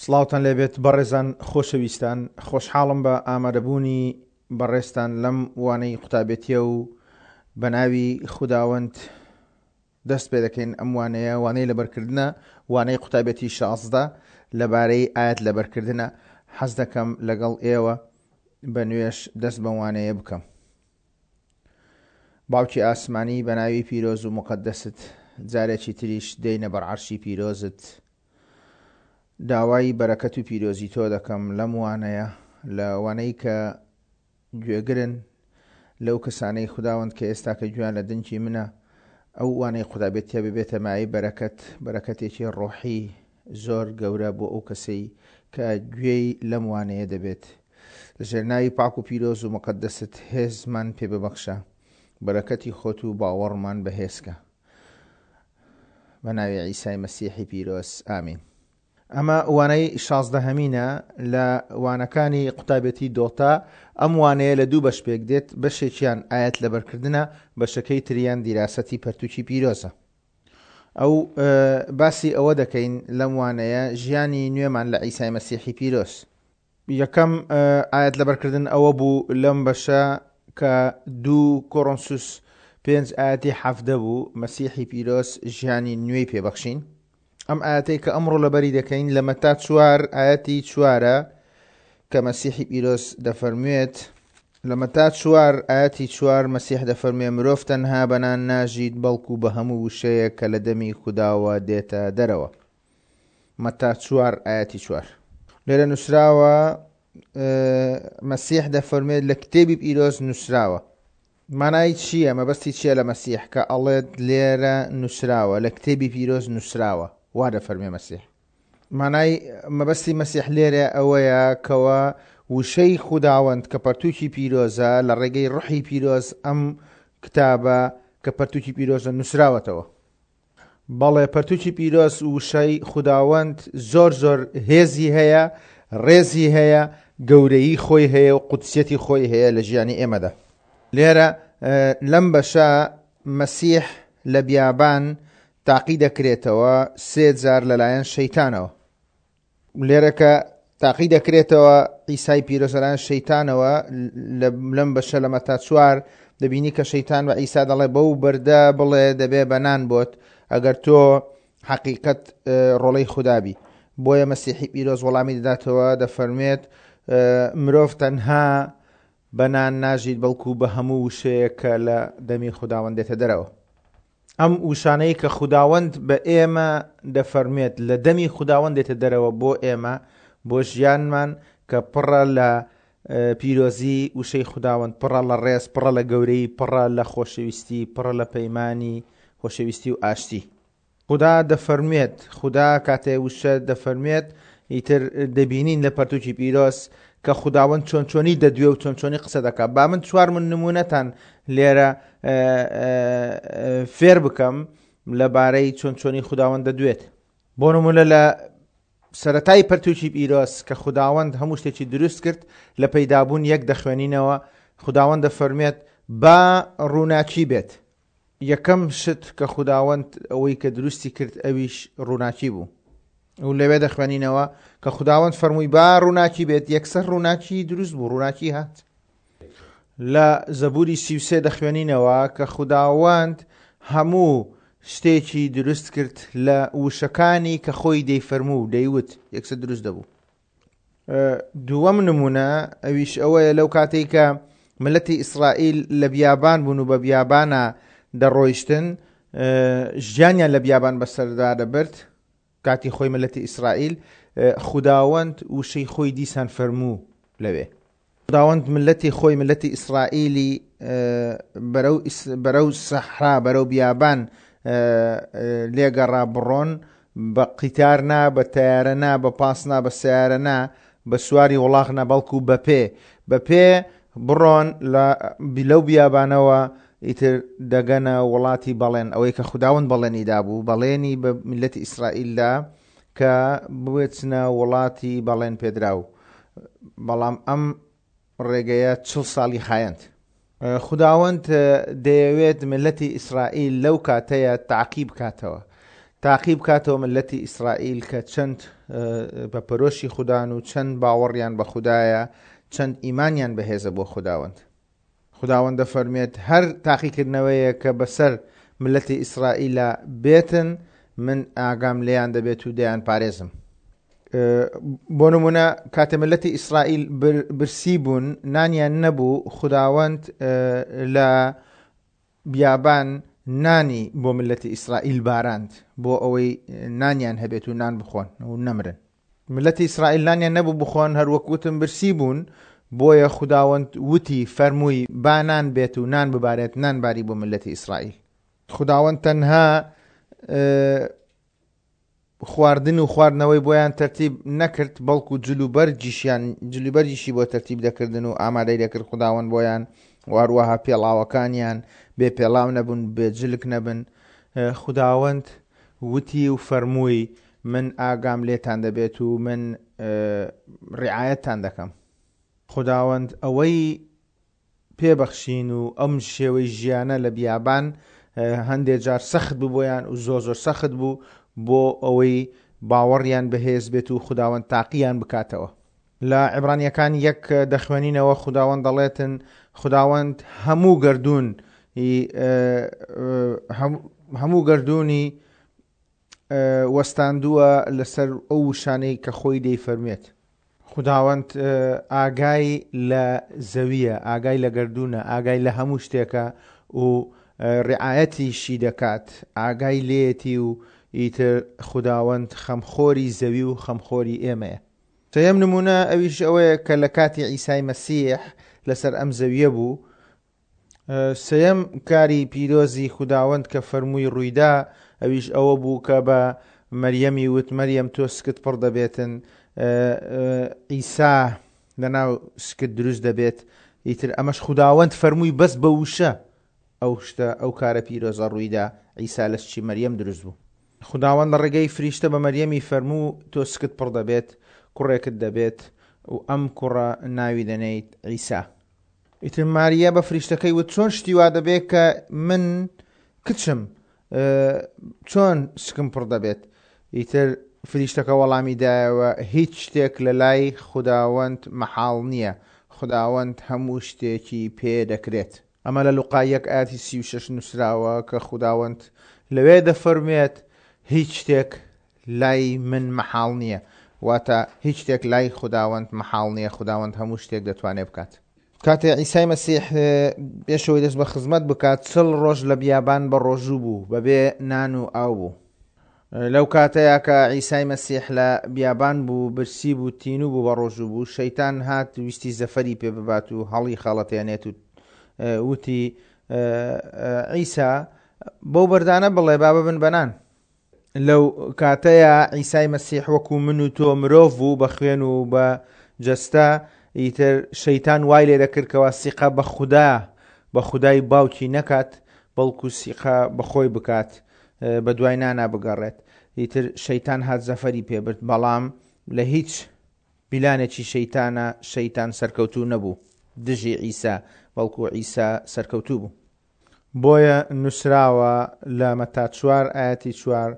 سڵاوتان لێبێت بەڕێزان خۆشەویستان خۆشحاڵم بە ئامادەبوونی بەڕێزتان لەم وانەی قوتابێتیە و بە ناوی خوداوەند دەست پێ دەکەین ئەم وانەیە وانەی لەبەرکردنە وانەی قوتابێتی 16 لەبارەی ئاەت لەبەرکردنە حەز دەکەم لەگەڵ ئێوە بە نوێش دەست بە وانەیە بکەم باوکی ئاسمانی بە ناوی پیرۆز و مقدست جارێکی تریش دێینە بەر عەرشی پیرۆزت داوای بەرەکەت و پیرۆزی تۆ دەکەم لەم وانەیە لە وانەی کە گوێگرن لەو کەسانەی خوداوەند کە ئێستا کە گوێیان لە دەنگی منە ئەو وانەی قوتابێتیە ببێتە مایەی بەرەکەت بەرەکەتێکی ڕۆحی زۆر گەورە بۆ ئەو کەسەی کە گوێی لەم وانەیە دەبێت لەژێر ناوی پاک و پیرۆز و مقدست هێزمان پێ ببەخشە بەرەکەتی خۆت و باوەڕمان بەهێزکە بە ناوی عیسای مەسیحی پیرۆز ئامین. ئەمە وانەی شازدەهەمینە لە وانەکانی قوتابێتی دۆتا ئەم وانەیە لە دوو بەش پێک دێت بەشێکیان ئاەت لەبەرکردنە بەشەکەی تریان دیراسەتی پەرتوکی پیرۆزە ئەو باسی ئەوە دەکەین لەم وانەیە ژیانی نوێمان لە عیسای مەسیحی پیرۆز یەکەم ئایەت لەبەرکردن ئەوە بوو لەم بەشە کە دوو کۆرۆنسوس پێنج ئاەتی حەفدە بوو مەسیحی پیرۆز ژیانی نوێی پێبەخشین ئەم ئاەتەی کە ئەمڕۆ لەبەری دەکەین لە مەتا چوار ئاەتی چوارە کە مەسیحی پیرۆز دەفەرموێت لە مەتا چوار ئاەتی چوار مەسیح دەفەرموێ مرۆڤ تەنها بەنان ناژیت بەڵکو بە هەموو وشەیە کە لە دەمی خودداوە دێتە دەرەوە مەتا چوار ئایەتی چوار. لێرە نووسراوە مەسیح دەفەرموێت لە کتێبی پیرۆز نووسراوە. مانای چییە؟ مەبەستی چییە لە مەسیح کە ئەڵێت لێرە نووسراوە لە کتێبی پیرۆز نووسراوە وا دەفەرمێ مەسیح. مانای مەبەستی مەسیح لێرە ئەوەیە کەوا وشەی خوداوەند کە پەرتووکی پیرۆزە لە ڕێگەی ڕحی پیرۆز ئەم کتابە کە پەرتووکی پیرۆزە نووسراوەتەوە. بەڵێ پەرتوکی پیرۆز وشەی خوداوەند زۆر زۆر هێزی هەیە ڕێزی هەیە گەورەیی خۆی هەیە و قودسیەتی خۆی هەیە لە ژیانی ئێمەدا لێرە لەم بەشە مەسیح لە بیابان تاقی دەکرێتەوە سێ جار لەلایەن شەیتانەوە لێرە کە تاقی دەکرێتەوە عیسای پیرۆز لەلایەن شەیتانەوە لەم بەشە لە مەتا چوار دەبینی کە شەیتان بە عیسا دەڵێ بەو بەردە بڵێ دەبێ بە نان بۆت ئەگەر تۆ حەقیقەت ڕۆڵەی خودابی بۆیە مەسیحی پیرۆز وەڵامی دەداتەوە دەفەرموێت مرۆڤ تەنها بە نان ناژیت بەڵکو بە هەموو وشەیە کە لە دەمی خوداوەند دێتە دەرەوە. ئەم وشانەی کە خوداوەند بە ئێمە دەفەرموێت لە دەمی خوداوەند دێتە دەرەوە بۆ ئێمە بۆ ژیانمان کە پڕە لە پیرۆزی وشەی خوداوەند پڕە لە ڕێز پڕە لە گەورەی پڕە لە خۆشەویستی پڕە لە پەیمانی خۆشەویستی و ئاشتی خودا دەفەرموێت، خودا کاتێ وشە دەفەرموێت، ئیتر دەبینین لە پەرتوکی پیرۆز کە خوداوەند چۆن چۆنی دەدوێ و چۆن چۆنی قسە دەکات. با من چوار من نمونەتان لێرە فێر بکەم لەبارەی چۆن چۆنی خوداوەند دەدوێت. بۆ نمونە لە سەرەتای پەرتوکی پیرۆز کە خوداوەند هەموو شتێکی دروست کرد لە پەیدابوون یەک دەخوێنینەوە خوداوەند دەفەرموێت با ڕووناکی بێت. یەکەم شت کە خوداوەند ئەوەی کە دروستی کرد ئەویش ڕووناکی بوو و لەوێ دەخوێنینەوە کە خوداوەند فەرمووی با ڕووناکی بێت یەکسەر ڕووناکی دروست بوو ڕووناکی هات لە زەبوری سیوسێ دەخوێنینەوە کە خوداوەند هەموو شتێکی دروست کرد لە وشەکانی کە خۆی دەیفەرموو دەیوت یەکسەر دروست دەبوو دووەم نمونە ئەویش ئەوەیە لەو کاتێک کە ملەتی ئیسرائیل لە بیابان بوون و بە بیابانە دەڕۆیشتن ژیانیان لە بیابان بەسەردا دەبرد کاتی خۆی ملەتی ئیسرائیل خوداوەند وشەی خۆی دیسان فەرموو لەوێ خوداوەند ملەتی خۆی ملەتی ئیسرائیلی بەرەو بەرەو سەحرا بەرەو بیابان لێگەڕا بڕۆن بە قیتار نا بە تەیارە نا بە پاس نا بە سیارە نا بە سواری وڵاخ نا بەڵکو بە پێ بە پێ بڕۆن لە لەو بیابانەوە ئیتر دەگەنە وڵاتی بەڵێن ئەوەی کە خوداوەند بەڵێنی دابوو بەڵێنی بە میلەتی ئیسرائیلدا کە بچنە وڵاتی بەڵێن پێدراو بەڵام ئەم ڕێگەیە چڵ ساڵی خایەند. خوداوەند دەیەوێت میللەتی ئیسرائیل لەو کاتەیە تاقی بکاتەوە. تاقی بکاتەوە ملەتی ئیسرائیل کە چەند بە پەرۆشی خودان و چەند باوەڕیان بە خودایە، چەند ئیمانیان بەهێزە بۆ خوداوەند. خوداوەند دەفەرموێت، هەر تاقیکردنەوەیەک کە بەسەر ملەتی ئیسرائیلا بێتن، من ئاگام لێیان دەبێت و دەیانپارێزم. بۆ نمونە کاتێ ملەتی ئیسرائیل برسی بوون، نانیان نەبوو، خوداوەند لە بیابان نانی بۆ ملەتی ئیسرائیل باراند بۆ ئەوەی نانیان هەبێت و نان بخۆن و نەمرن. ملەتی ئیسرائیل نانیان نەبوو بخۆن، هەروەک وتم برسی بوون، بۆیە خوداوەند وتی، فەرمووی، با نان بێت و نان ببارێت، نان باری بۆ ملەتی ئیسرائیل. خوداوەند تەنها خواردن و خواردنەوەی بۆیان تەرتیب نەکرد، بەڵکو جلوبەرگیشیان جلوبەرگیشی بۆ تەرتیب دەکردن و ئامادەی دەکرد خوداوەند بۆیان و هەروەها پێڵاوەکانیان بێ پێڵاو نەبوون، بێ جلک نەبن. خوداوەند وتی و فەرمووی، من ئاگام لێتان دەبێت و من ڕیعایەتتان دەکەم. خوداوەند ئەوەی پێ بەخشین و ئەم شێوەی ژیانە لە بیابان هەندێ جار سەخت بوو بۆیان و زۆر زۆر سەخت بوو بۆ ئەوەی باوەڕیان بەهێز بێت و خوداوەند تاقییان بکاتەوە. لە عیبرانیەکان یەک دەخوێنینەوە خوداوەند دەڵێتن خوداوەند هەموو گەردوون هەموو گەردوونی وەستاندووە لەسەر ئەو وشانەی کە خۆی دەیفەرموێت. خوداوەند ئاگای لە زەوییە، ئاگای لە گەردوونە، ئاگای لە هەموو شتێکە و ڕعایەتیشی دەکات، ئاگای لێیەتی و ئیتر خوداوەند خەمخۆری زەوی و خەمخۆری ئێمەیە. سێیەم نموونە ئەویش ئەوەیە کە لە کاتی عیسای مەسیح لەسەر ئەم زەوییە بوو، سێیەم کاری پیرۆزی خوداوەند کە فەرمووی ڕوویدا، ئەویش ئەوە بوو کە بە مەریەمی وت، مەریەم تۆ سکت پڕ دەبێتن، عیسا لەناو سکت دروست دەبێت. ئیتر ئەمەش خوداوەند فەرمووی بەس بە وشە ئەو شتە، ئەو کارە پیرۆزە ڕوویدا، عیسا لە سکی مەریەم دروست بوو. خوداوەند لە ڕێگەی فریشتە بە مەریەمی فەرموو، تۆ سکت پڕ دەبێت، کوڕێکت دەبێت و ئەم کوڕە ناوی دەنێیت عیسا. ئیتر ماریا بە فریشتەکەی وت، چۆن شتی وا دەبێت کە من کچم، چۆن سکم پڕ دەبێت؟ ئیتر فریشتەکە وەڵامی دایەوە، هیچ شتێک لە لای خوداوەند مەحاڵ نییە، خوداوەند هەموو شتێکی پێ دەکرێت. ئەمە لە لوقا یەک ئایەتی 36 نووسراوە کە خوداوەند لەوێ دەفەرموێت، هیچ شتێک لای من مەحاڵ نییە، واتە هیچ شتێک لای خوداوەند مەحاڵ نییە، خوداوەند هەموو شتێک دەتوانێت بکات. کاتێ عیسای مەسیح پێش ئەوەی دەست بە خزمەت بکات، چڵ ڕۆژ لە بیابان بە ڕۆژوو بوو، بەبێ نان و ئاو بوو. لەو کاتەیا کە عیسای مەسیح لە بیابان بوو، برسی بوو، تینوو بوو، بە ڕۆژوو بوو، شەیتان هات ویستی زەفەری پێ ببات و هەڵی خەڵەتێنێت و وتی، عیسا، بەو بەردانە بڵێ با ببن بە نان. لەو کاتەیا عیسای مەسیح وەکو من و تۆ مرۆڤ بوو بە خوێن و بە جەستە، ئیتر شەیتان وای لێ دەکرد کەوا سیقە بە خودا، بە خودای باوکی نەکات، بەڵکو سیقە بە خۆی بکات، بە دوای نانا بگەڕێت. ئیتر شەیتان هات زەفەری پێ برد، بەڵام لە هیچ پیلانێکی شەیتانە شەیتان سەرکەوتوو نەبوو دژی عیسا، بەڵکو عیسا سەرکەوتوو بوو. بۆیە نووسراوە لە مەتا چوار ئایەتی چوار،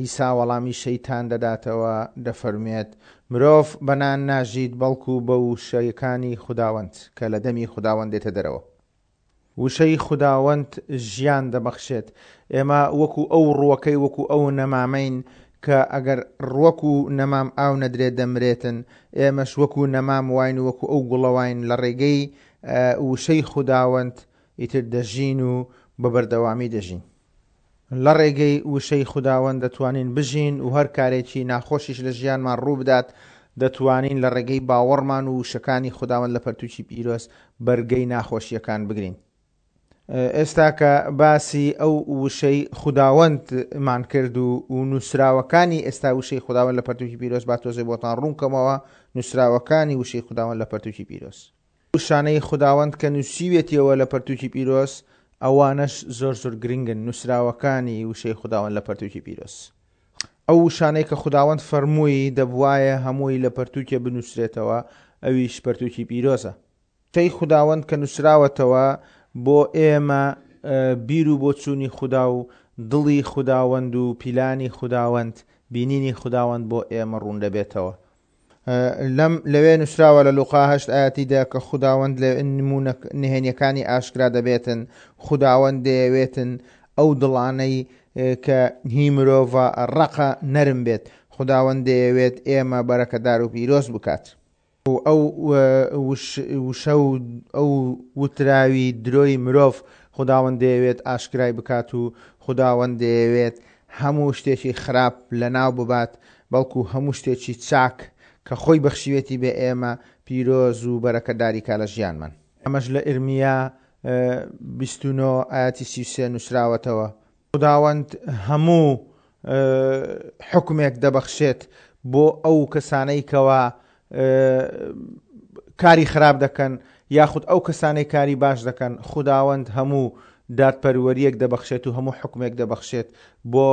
عیسا وەڵامی شەیتان دەداتەوە دەفەرموێت، مرۆڤ بە نان ناژیت بەڵکو بە وشەکانی خوداوەند کە لە دەمی خوداوەند دێتە دەرەوە. وشەی خوداوەند ژیان دەبەخشێت. ئێمە وەکو ئەو ڕووەکەی وەکو ئەو نەمامەین کە ئەگەر ڕووەک و نەمام ئاو نەدرێت دەمرێتن، ئێمەش وەکو نەمام واین و وەکو ئەو گوڵە واین لە ڕێگەی وشەی خوداوەند ئیتر دەژین و بە بەردەوامی دەژین. لە ڕێگەی وشەی خوداوەند دەتوانین بژین و هەر کارێکی ناخۆشیش لە ژیانمان ڕووبدات دەتوانین لە ڕێگەی باوەڕمان و وشەکانی خوداوەند لە پەرتووکی پیرۆز بەرگەی ناخۆشییەکان بگرین. ئێستا کە باسی ئەو وشەی خوداوەندمان کرد و و نووسراوەکانی ئێستا وشەی خوداوەند لە پەرتووکی پیرۆز با تۆزێ بۆتان ڕوون کەمەوە نووسراوەکانی وشەی خوداوەند لە پەرتووکی پیرۆز. وشانەی خوداوەند کە نووسیوێتیەوە لە پەرتووکی پیرۆز، ئەوانەش زۆر زۆر گرنگن، نووسراوەکانی وشەی خوداوەند لە پەرتووکی پیرۆز. ئەو وشانەی کە خوداوەند فەرمووی دەبوایە هەمووی لە پەرتووکێ بنووسرێتەوە، ئەویش پەرتووکی پیرۆزە. وشەی خوداوەند کە نووسراوەتەوە بۆ ئێمە بیر و بۆچوونی خودا و دڵی خوداوەند و پیلانی خوداوەند، بینینی خوداوەند بۆ ئێمە ڕوون دەبێتەوە. لەم لەوێ نووسراوە لە لوقا هەشت ئایەتی دە کە خوداوەند لە نموونە نهێنیەکانی ئاشکرا دەبێتن، خوداوەند دەیەوێتن ئەو دڵانەی کە هی مرۆڤە ڕەقە نەرم بێت، خوداوەند دەیەوێت ئێمە بەرەکەدار و پیرۆز بکات. و ئەو وشە و ئەو وتراوی درۆی مرۆڤ خوداوەند دەیەوێت ئاشکرای بکات و خوداوەند دەیەوێت هەموو شتێکی خراپ لەناو ببات بەڵکو هەموو شتێکی چاک کە خۆی بەخشیوێتی بە ئێمە پیرۆز و بەرەکەداری کا لە ژیانمان. ئەمەش لە ئیرمیا 29 ئایەتی 33 نووسراوەتەوە. خوداوەند هەموو حوکمێک دەبەخشێت بۆ ئەو کەسانەی کەوا کاری خراپ دەکەن یاخود ئەو کەسانەی کاری باش دەکەن، خوداوەند هەموو دادپەروەریەک دەبەخشێت و هەموو حوکمێک دەبەخشێت بۆ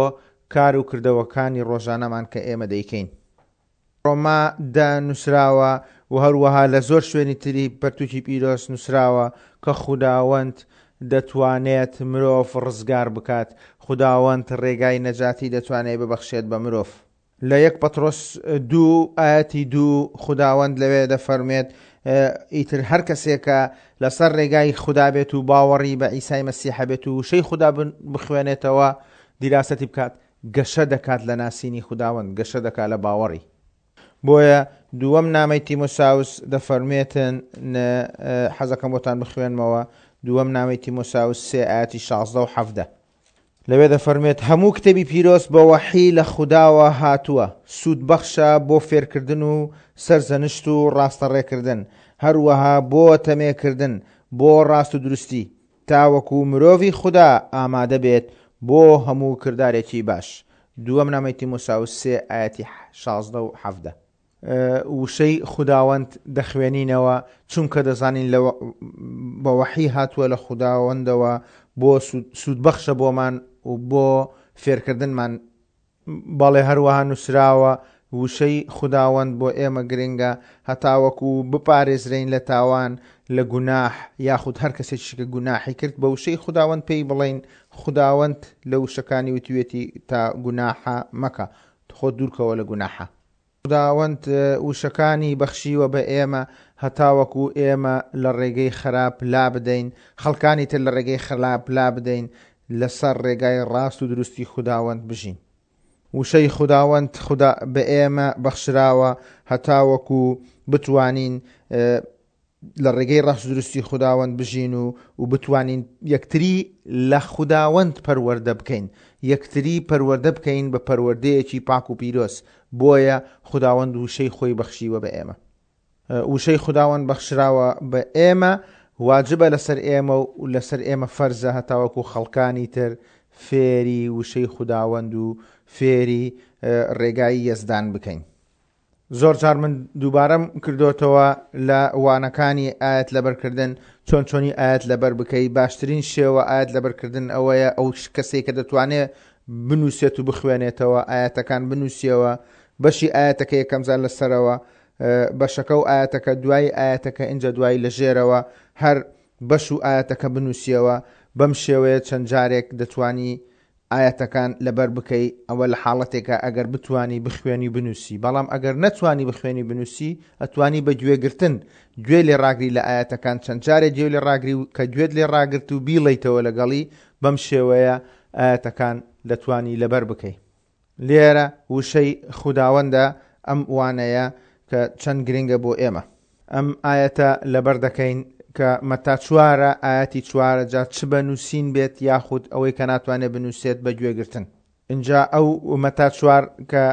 کار و کردەوەکانی ڕۆژانەمان کە ئێمە دەیکەین. ڕۆما دا نووسراوە و هەروەها لە زۆر شوێنی تری پەرتووکی پیرۆز نووسراوە کە خوداوەند دەتوانێت مرۆڤ ڕزگار بکات، خوداوەند ڕێگای نەجاتی دەتوانێت ببەخشێت بە مرۆڤ. لە یەک پەترۆس دوو ئایەتی دوو خوداوەند لەوێ دەفەرموێت ئیتر هەر کەسێکە لەسەر ڕێگای خودا بێت و باوەڕی بە عیسای مەسیح هەبێت و وشەی خودا بخوێنێتەوە دیراسەتی بکات گەشە دەکات لە ناسینی خوداوەند، گەشە دەکات لە باوەڕی. بۆیە دووەم نامەی تیمۆساوس دەفەرموێتن، حەزەکەم بۆتان بخوێنمەوە، دووەم نامەی تیمۆساوس سێ ئایەتی 16 و 17. لەوێ دەفەرموێت، هەموو کتێبی پیرۆز بە وەحی لە خوداوە هاتووە، سوودبەخشە بۆ فێرکردن و سەرزەنشت و ڕاستەڕێکردن، هەروەها بۆ تەمێکردن بۆ ڕاست و دروستی، تاوەکو مرۆڤی خودا ئامادە بێت بۆ هەموو کردارێکی باش. دووەم نامەی تیمۆساوس سێ ئایەتی 16 و 17. وشەی خوداوەند دەخوێنینەوە چونکە دەزانین لە بە وەحی هاتووە لە خوداوەندەوە بۆ سوودبەخشە بۆمان و بۆ فێرکردنمان. بەڵێ هەروەها نووسراوە، وشەی خوداوەند بۆ ئێمە گرنگە هەتاوەکو بپارێزرێین لە تاوان، لە گوناح، یاخود هەر کەسێکیش کە گوناحی کرد بە وشەی خوداوەند پێی بڵێین، خوداوەند لە وشەکانی وتویەتی تا گوناحە مەکە، خۆت دوورکەوە لە گوناحە. خوداوەند وشەکانی بەخشیوە بە ئێمە هەتاوەکو ئێمە لە ڕێگەی خراپ لابدەین، خەڵکانی تر لە ڕێگەی خراپ لابدەین، لەسەر ڕێگای ڕاست و دروستی خوداوەند بژین. وشەی خوداوەند خودا بە ئێمە بەخشراوە هەتاوەکو بتوانین لە ڕێگەی ڕاست و دروستی خوداوەند بژین و و بتوانین یەکتری لە خوداوەند پەروەردە بکەین، یەکتری پەروەردە بکەین بە پەروەردەیەکی پاک و پیرۆز، بۆیە خوداوەند وشەی خۆی بەخشیوە بە ئێمە. وشەی خوداوەند بەخشراوە بە ئێمە، واجبە لەسەر ئێمە و لەسەر ئێمە فەرزە هەتاوەکو خەڵکانی تر فێری وشەی خوداوەند و فێری ڕێگای یەزدان بکەین. زۆر جار من دووبارەم کردۆتەوە لە وانەکانی ئایەت لەبەرکردن چۆن چۆنی ئایەت لەبەر بکەی باشترین شێوە ئایەت لەبەرکردن ئەوەیە ئەو کەسێک کە دەتوانێت بنووسێت و بخوێنێتەوە ئایەتەکان بنووسیەوە بەشی ئایەتەکە یەکەم جار لەسەرەوە بەشەکە و ئایەتەکە دوای ئایەتەکە ئینجا دوایی لە ژێرەوە هەر بەش و ئایەتەکە بنووسیەوە بەم شێوەیە چەند جارێک دەتوانی ئایەتەکان لەبەر بکەی ئەوە لە حاڵەتێکا ئەگەر بتوانی بخوێنی و بنووسی بەڵام ئەگەر نەتوانی بخوێنی بنووسی ئەتوانی بە گوێگرتن گوێ لێ ڕاگری لە ئایەتەکان چەند جارێک گوێ لێ ڕاگری و کە گوێت لێ ڕاگرت و بیڵێیتەوە لەگەڵی بەم شێوەیە ئایەتەکان دەتوانی لەبەر بکەی. لێرە وشەی خوداوەندە ئەم وانەیە کە چەند گرنگە بۆ ئێمە. ئەم ئایەتە لەبەر دەکەین کە مەتا چوارە ئایەتی چوارە جا چ بە نووسین بێت یاخود ئەوەی کە ناتوانێت بنووسێت بە گوێگرتن. ئینجا ئەو مەتا چوار کە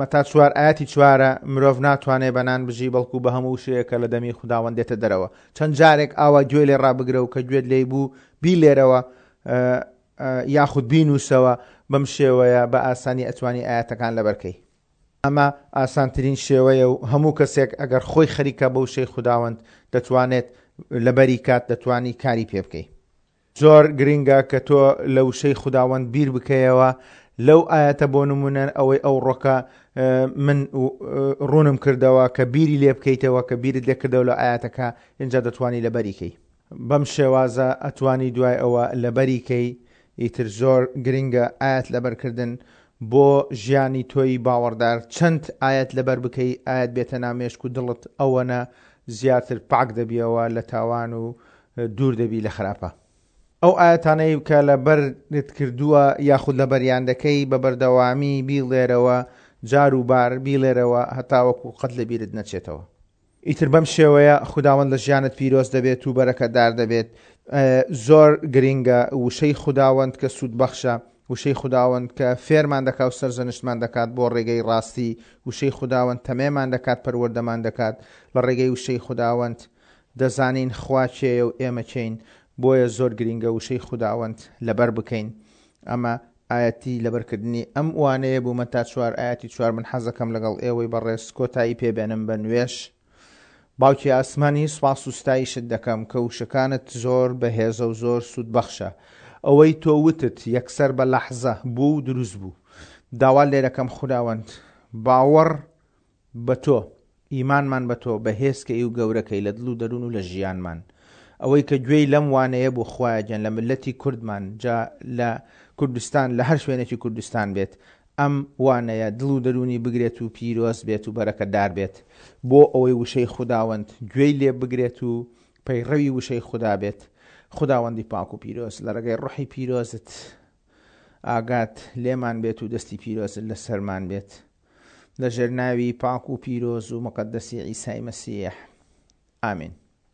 مەتا چوار ئایەتی چوارە مرۆڤ ناتوانێت بە نان بژی بەڵکو بە هەموو وشەیەک کە لە دەمی خوداوەند دێتە دەرەوە. چەند جارێک ئاوا گوێ لێ ڕابگرە و کە گوێت لێی بوو بیلێرەوە یاخود بینووسەوە بەم شێوەیە بە ئاسانی ئەتوانی ئایەتەکان لەبەر کەی. ئەمە ئاسانترین شێوەیە و هەموو کەسێک ئەگەر خۆی خەریکە بە وشەی خوداوەند دەتوانێت لەبەری کات دەتوانی کاری پێ بکەی. زۆر گرینگە کە تۆ لە وشەی خوداوەند بیر بکەیەوە لەو ئایەتە بۆ نمونە ئەوەی ئەوڕۆکە من ڕوونم کردەوە کە بیری لێ بکەیتەوە کە بیرت لێ کردەوە لە ئایەتەکە ئینجا دەتوانی لەبەری کەی. بەم شێوازە ئەتوانی دوای ئەوە لەبەری کەی. ئیتر زۆر گرنگە ئایەت لەبەرکردن بۆ ژیانی تۆی باوەڕدار چەند ئایەت لەبەر بکەی ئایەت بێتە ناو مێشک و دڵت ئەوەنە زیاتر پاک دەبیەوە لە تاوان و دوور دەبی لە خراپە. ئەو ئایەتانەی کە لەبەرت کردووە یاخود لەبەریان دەکەی بە بەردەوامی بیڵێرەوە جار و بار بیڵێرەوە هەتاوەکو قەت لەبیرت نەچێتەوە. ئیتر بەم شێوەیە خوداوەند لە ژیانت پیرۆز دەبێت و بەرەکەتدار دەبێت. زۆر گرینگە وشەی خوداوەند کە سوودبەخشە، وشەی خوداوەند کە فێرمان دەکا و سەرزەنشتمان دەکات بۆ ڕێگەی ڕاستی، وشەی خوداوەند تەمێمان دەکات، پەروەردەمان دەکات، لە ڕێگەی وشەی خوداوەند دەزانین خوا کێیە و ئێمە کێین، بۆیە زۆر گرینگە وشەی خوداوەند لەبەر بکەین. ئەمە ئایەتی لەبەرکردنی ئەم وانەیە بوو مەتا چوار ئایەتی چوار من حەزەکەم لەگەڵ ئێوەی بەڕێز کۆتایی پێ بێنم بە نوێژ باوکی ئاسمانی سوپاس و ستایشت دەکەم کە وشەکانت زۆر بەهێزە و زۆر سوودبەخشە ئەوەی تۆ وتت یەکسەر بە لەحزە بوو و دروست بوو داوا لێرەکەم خوداوەند باوەڕ بە تۆ، ئیمانمان بە تۆ بەهێز کەی و گەورە کەی لە دڵ و دەروون و لە ژیانمان. ئەوەی کە گوێی لەم وانەیە بوو خوایە گیان لە مللەتی کوردمان جا لە کوردستان لە هەر شوێنێکی کوردستان بێت ئەم وانەیە دڵ و دەروونی بگرێت و پیرۆز بێت و بەرەکەتدار بێت بۆ ئەوەی وشەی خوداوەند گوێی لێ بگرێت و پەیڕەوی وشەی خودا بێت خوداوەندی پاک و پیرۆز لە ڕێگەی ڕۆحی پیرۆزت ئاگات لێمان بێت و دەستی پیرۆزت لەسەرمان بێت. لە ژێر ناوی پاک و پیرۆز و مقەدەسی عیسای مەسیح. ئامین.